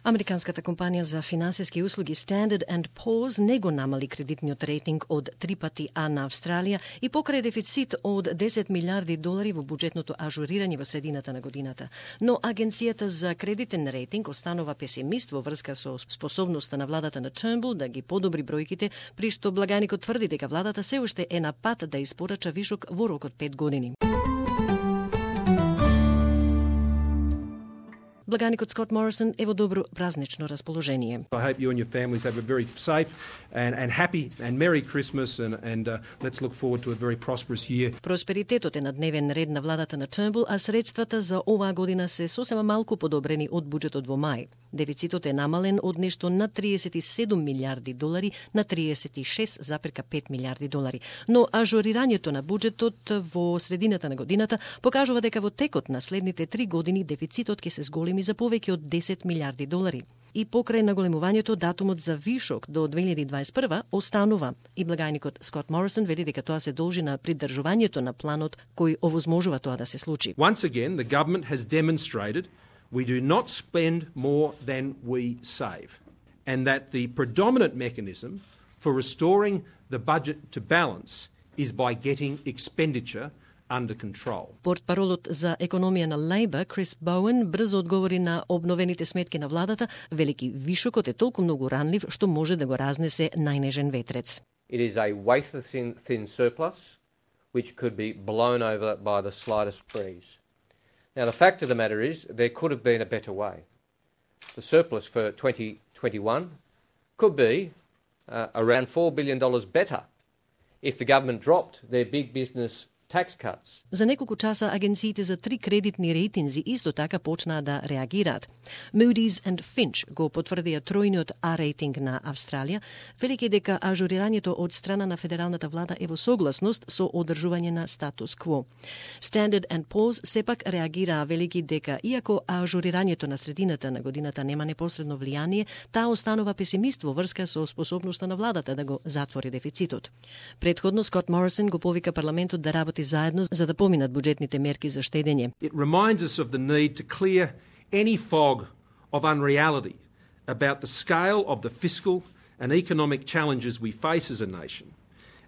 Американската компанија за финансиски услуги Standard & Poor's не го намали кредитниот рейтинг од 3 пати А на Австралија и покрај дефицит од 10 милиарди долари во буџетното ажурирање во средината на годината. Но Агенцијата за кредитен рейтинг останува песимист во врска со способноста на владата на Turnbull да ги подобри бројките, при што Благаникот тврди дека владата се уште е на пат да испорача вишок во рок од 5 години. Благаникот Скот Морисон е во добро празнично расположение. I hope you and your families have a very safe and happy and merry Christmas and let's look forward to a very prosperous year. Просперитетот е на дневен ред на владата на Turnbull, а средствата за оваа година се сосема малку подобрени од буџетот во мај. Дефицитот е намален од нешто на 37 милиарди долари на 36,5 милиарди долари. Но ажурирањето на буџетот во средината на годината покажува дека во текот на следните 3 години дефицитот ќе се зголеми за повеќе од 10 милиарди долари. И покрај наголемувањето, датумот за вишок до 2021 останува. И Благаникот Скот Морисон вели дека тоа се должи на придржувањето на планот кој овозможува тоа да се случи. Once again, the government has demonstrated we do not spend more than we save, and that the predominant mechanism for restoring the budget to balance is by getting expenditure under control. Портпаролот за економија на Лейбор, Крис Боуен, брзо одговори на обновените сметки на владата, велики вишокот е толку многу ранлив што може да го разнесе најнежен ветрец. It is a wafer-thin surplus which could be blown over by the slightest breeze. Now, the fact of the matter is there could have been a better way. The surplus for 2021 could be around $4 billion better if the government dropped their big business tax cuts. За неколку часа агенциите за 3 кредитни рейтинзи исто така почнаа да реагираат. Moody's and Fitch го потврдија тројниот А рейтинг на Австралија, велики дека ажурирањето од страна на федералната влада е во согласност со одржување на статус кво. Standard & Poor's сепак реагираа, велики дека иако ажурирањето на средината на годината нема непосредно влијание, таа останува песимист во врска со способноста на владата да го затвори дефицитот. Предходно Скот Морисон го повика парламентот да работи заедно за да поминат буџетните мерки за штедење. It reminds us of the need to clear any fog of unreality about the scale of the fiscal and economic challenges we face as a nation,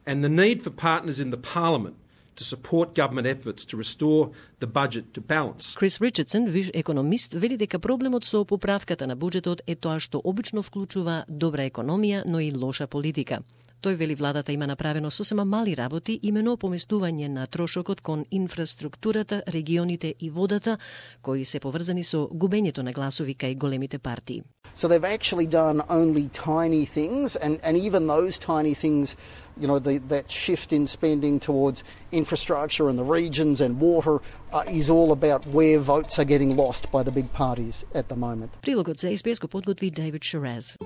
and the need for partners in the Parliament to support government efforts to restore the budget to balance. Крис Ричардсон, виш економист, вели дека проблемот со поправката на буџетот е тоа што обично вклучува добра економија, но и лоша политика. Тој вели владата има направено сосема мали работи, имено поместување на трошокот кон инфраструктурата, регионите и водата, кои се поврзани со губењето на гласови кај големите партии. So they've actually done only tiny things, and even those tiny things, you know, that shift in spending towards infrastructure and the regions and water is all about where votes are getting lost by the big parties at the moment. Прилогот за СПС го подготви David Shiraz.